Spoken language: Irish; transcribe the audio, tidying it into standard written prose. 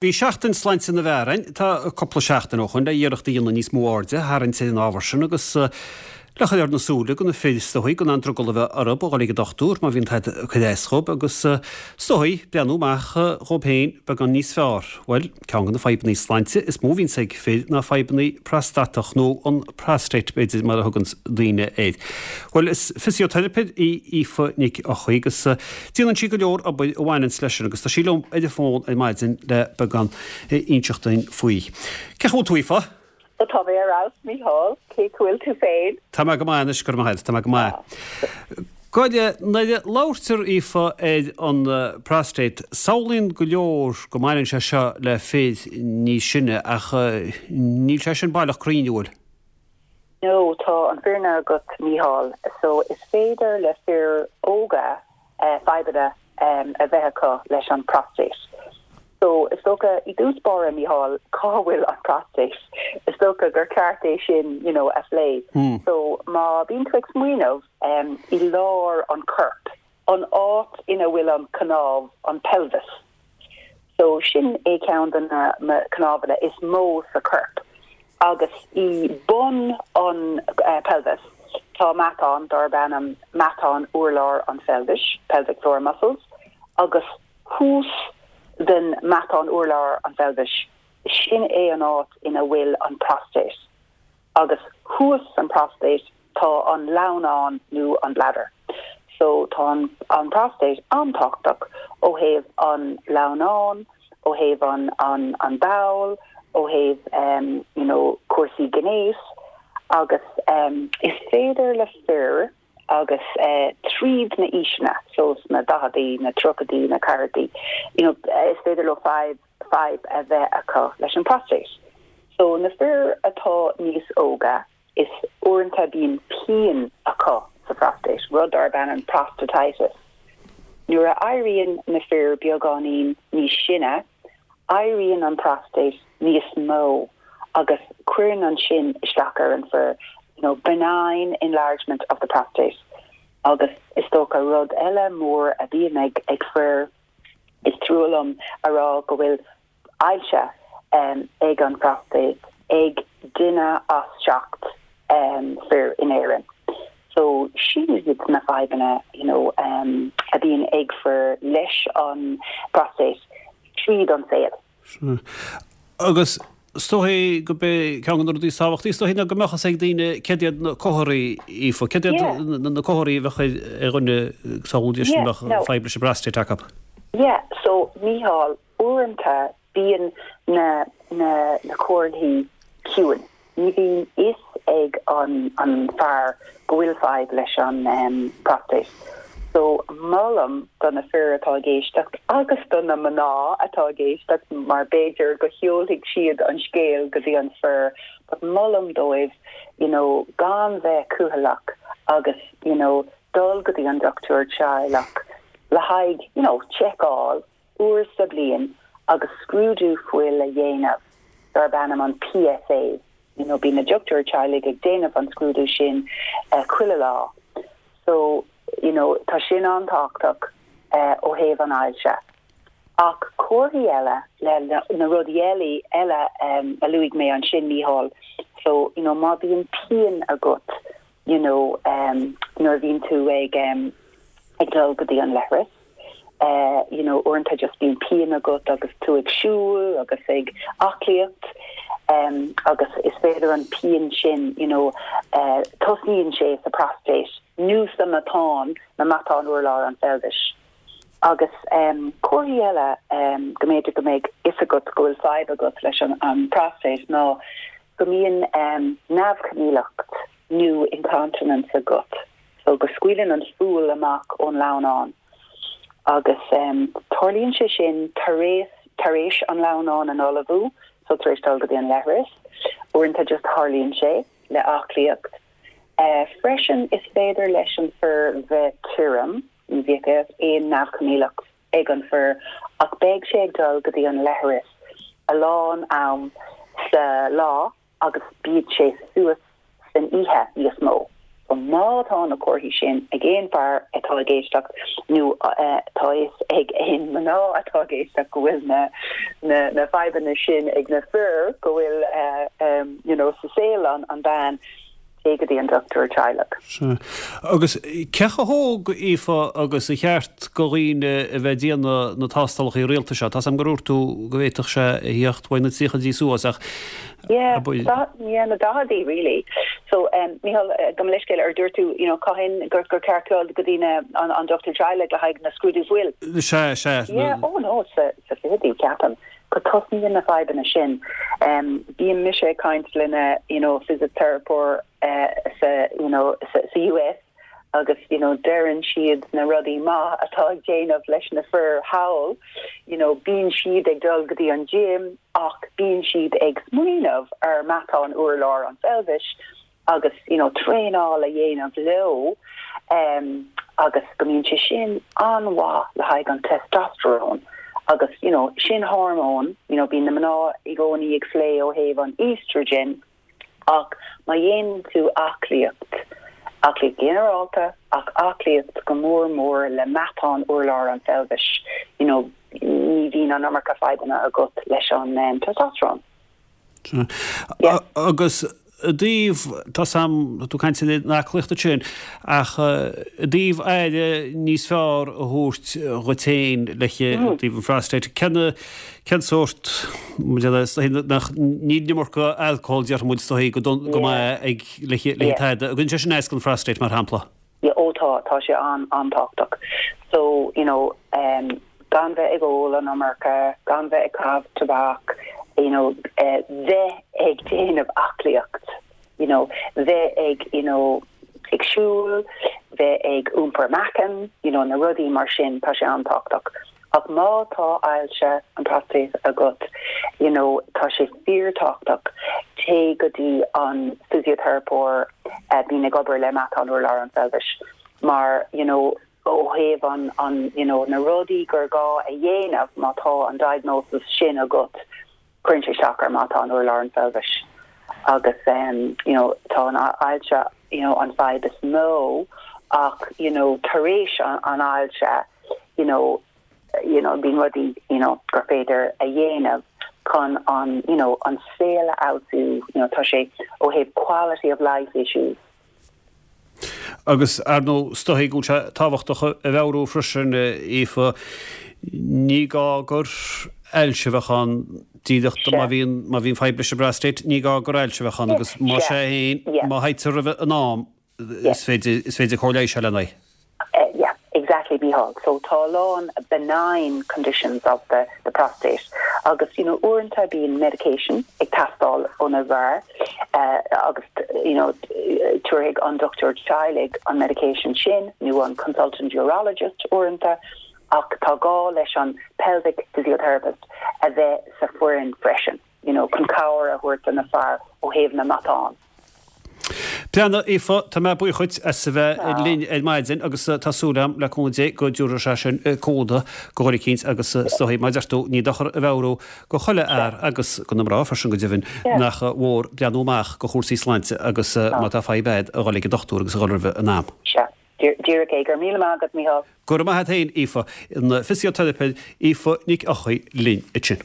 Bhí Seachtain Sláinte na bhFear ann, tá cúpla seachtain ó shoin, le iarracht a dhéanamh níos mó airde a tharraingt ar an ábhar sin agus le cur ar na súile go na fir is dóichí gan aon drogall a bheith orthu a dhul ag an dochtúir má bhíonn tada ag cur as dhóibh agus is dóichí breathnú amach dhóibh féin beagán níos fearr. Bhuel, ceann de na fadhbanna sláinte is mó a bhíonns ag fir ná fadhbanna prostatach nó an prostate b'fhéidir mar a thuganns daoine air. Bhuel, is fisioteiripeoir í Aoife Nic Eochaidh agus Déanann sí go leor obair a bhaineanns leis sin agus tá sí liom ar an bhfón ar maidin le beagán a inseacht duinn faoi. Cén chaoi a bhfuil tú, Aoife? Ó tá mé ar fheabhas, Mícheál. Cén chaoi a bhfuil tú féin? Tá mé go maith anois, go raibh maith agat, tá mé go maith. Gabh i leith, nuair a labhairtear, Aoife, ar an prostate, samhlaíonn go leor go mbaineann sé seo le fir níos sine ach níl sé sin baileach cruinn, an bhfuil? No, tá an fírinne agat Mícheál. So is féidir le fir óga fadhbanna a bheith acu leis an prostate. So is dócha i dtús báire Mícheál, cá bhfuil an prostate? Is dócha gur ceart é sin you know a phlé. So má bíonn tú ag smaoineamh i lár an choirp, an áit ina bhfuil an cnámh, an pelvis. So sin é ceann de na cnámhanna is mó sa chorp. Agus i bun an pelvis tá matán darb ainm matán urlár an pheilbhis, pelvic floor muscles, agus thuas den matán urlár an pheilbhis, sin é an áit ina bhfuil an prostate. Agus thuas san prostate tá an lamhnán nó an bladder. So tá an an prostate an-tábhachtach ó thaobh an lamhnán, ó thaobh an an an ball, ó thaobh em you know cúrsaí gnéis agus em is féidir le fir agus eh tríd na aoiseanna, so sna daicheadaí, na tríochaidí, na ceathrachaidí, you know is féidir leo fadhb fadhb a bheith acu leis an prostate. So na fir atá níos óga, is uaireanta bíonn pian acu sa phrostate, rud darb ainm prostatitis. Nuair a éiríonn na fir beagáinín níos sine, éiríonn an prostate níos mó agus cuireann an sin isteach ar an fir, you know, benign enlargement of the prostate. Agus is dócha rud eile mór a bhíonn ag ag fir, Is trua liom a rá go bhfuil ailse ag an phróstáit ag duine as 7 fir in Éirinn. So sin iad na fadhbanna you know a bhíonn ag fir leis an bpróstáit tríd an saol. Sea. Agus is dóigh go b'é ceann de na rudaí is tábhachtaí is dóigh ná go mbeadh fhios ag daoine céard iad na comharthaí, Aoife, céard iad na comharthaí a bheadh ar dhuine samhlú deis go mbeadh fadhb leis an bprostate acu. Yeah, so Mícheál, uaireanta bíonn na na na comharthaí ciúin. Ní bhíonn fhios ag an an fear go bhfuil fadhb leis an prostate. So molaim do na fir atá ag éisteacht agus do na mná atá ag éisteacht mar b'fhéidir go sheolfaidh siad an scéal go dtí an fir but molaim dóibh you know gan bheith cúthaileach agus you know dul go dtí an dochtúir teaghlach le haghaidh you know seiceáil uair sa bliain agus scrúdú fuil a dhéanamh darb ainm an PSA. You know bíonn na dochtúir teaghlaigh ag déanamh an scrúdú sin chuile lá. So, you know, tá sin an-tábhachtach ó thaobh an ailse. Ach comharthaí eile le na rudaí eile eile a luaigh mé ansin, Mícheál, so, you know, má bhíonn pian agat, you know, nuair a bhíonn tú ag ag dul go dtí an leithreas, you know, uaireanta just bíonn pian agat agus tú ag siúl agus ag aclaíocht agus is féidir an pian sin, you know, tosnaíonn sé sa prostate nó sa matán, na matáin urlár an pheilbhis. Agus comharthaí eile go mb'fhéidir go mbeidh fhios agat go bhfuil fadhb agat leis an prostate ná go mbíonn neamhchoinníollacht nó incontinence agat, so go scaoileann an fual amach ón lamhnán agus tarlaíonn sé sin tar éis tar éis an lamhnán a fholmhú, so tar éis dul go dtí an leithreas. Uaireanta just tarlaíonn sé le aclaíocht. Freisin is féidir leis an fir bheith tirim, ní bheadh aon neamhchoinníollacht ag an fir ach beidh sé ag dul go dtí an leithreas a lán am sa lá agus bíonn sé suas san oíche níos mó. So má tá na comharthaí sin ag aon fear atá ag éisteacht nó tá fhios ag aon mná atá ag éisteacht go bhfuil na na na fadhbanna sin ag na fir go bhfuil you know sa saol an an bean téigh go dtí an dochtúir teaghlaigh. Sea. Agus cé chomh hóg, Aoife, agus a cheart go dhaoine a bheith ag déanamh na tástálacha rialta seo? Tá's a'm gur dhúirt tú go bhféadfadh sé a thíocht uaidh na tríochaidí suas ach Yeah, yeah, na daicheadaí really. So, um, Mícheál, gabh mo leithscéal, ar dúirt tú, you know, cathain gur, gur ceart dul go dtí na, an, an dochtúir teaghlaigh le haghaidh na scrúdú fuil? Sea, sea. Yeah, oh no, sa, sa fichidí, ceapaim, go tosnaíonn na fadhbanna sin. Um, bíonn mise ag caint le na, you know, physiotherapist uh, sa, you know, sa, sa US, agus you know deireann siad na rudaí maith atá ag déanamh leis na fir thall, you know bíonn siad ag dul go dtí an gym ach bíonn siad ag smaoineamh ar matán urlár an pheilbhis agus you know traenáil a dhéanamh leo um agus go mbíonn sé sin an-mhaith le haghaidh an testosterone agus you know sin hormón you know bíonn na mná i gcónaí ag plé ó thaobh an estrogen Ach má dhéanann tú aclaíocht, aclaíocht ghinearálta ach aclaíocht go mór mór le matán urlár an pheilbhis, you know, ní bhíonn an iomarca fadhbanna agat leis an testosterone. Yeah. Agus i dtaobh, tá's a'm, tá tú ag caint ar an aclaíocht ansin, ach i dtaobh aire níos fearr a thabhairt dhuit féin le i dtaobh an phrostaid, cén Cén sórt, nach, níl an iomarca alcohol déarfaidh muid is dóigh go don, go maith ag le le tada. An gcuireann sé sin as don phrostaid mar shampla? Yeah, ó tá, tá sé an, an-tábhachtach. So, you know, um, gan bheith ag ól an iomarca, gan bheith ag caitheamh tobac, you know, eh, bheith ag déanamh aclaíocht, you know, bheith ag, you know, ag siúl, bheith ag iompar meáchan, you know, na rudaí mar sin, tá sé an-tábhachtach. Ach má tá ailse an próstaid agat, you know, tá sé fíorthábhachtach, téigh go dtí an physiotherapist a bíonn ag obair le matán urlár an pheilbhis mar, you know, ó thaobh an, an, you know, na rudaí gur gá a dhéanamh má tá an diagnosis sin agat, cuireann sé isteach ar matán urlár an pheilbhis agus um, you know, tá an ailse, you know, an fadhb is mó ach, you know, tar éis an, an ailse, you know, you know, bíonn rudaí, you know, gur féidir a dhéanamh chun an, you know, an saol a fheabhsú, you know, tá sé ó thaobh quality of life issues. Agus, ar ndóigh, is dóigh go bhfuil sé tábhachtach a mheabhrú freisin, Aoife, ní gá gur ailse a bheadh ann díreach má bhíonn, má bhíonn fadhb leis an bprostate, ní gá gur ailse a bheadh ann agus más ea féin, má fhaightear roimhe in am, is féidir, is féidir cóir leighis a fháil lena aghaidh. Yeah, exactly Mícheál. So tá a lán benign conditions of the the prostate agus you know uaireanta bíonn medication ag teastáil ó na bhfear agus you know tabharfaidh an dochtúir teaghlaigh an medication sin nó an consultant urologist uaireanta ach tá gá leis an pelvic physiotherapist a bheith sa foireann freisin you know chun cabhair a thabhairt do na fear ó thaobh na matán. Breathnaigh, Aoife, tá mé buíoch dhuit as a bheith linn ar maidin agus tá súil agam, le cúnamh Dé, go dtabharfaidh sé sin cúnamh do dhuine eicínt agus is dóigh, mar a deir tú, ní dochar a mheabhrú go chuile fhear agus go na mná freisin go deimhin, nach mhór breathnú amach go chúrsaí sláinte agus má tá fadhb a'd a dhul ag an dochtúir agus a dhul roimhe in am. Sea, díreach é. Go raibh míle maith agat, Mícheál. Go raibh maith a't féin, Aoife. An fisioteiripeoir Aoife Nic Eochaidh linn ansin.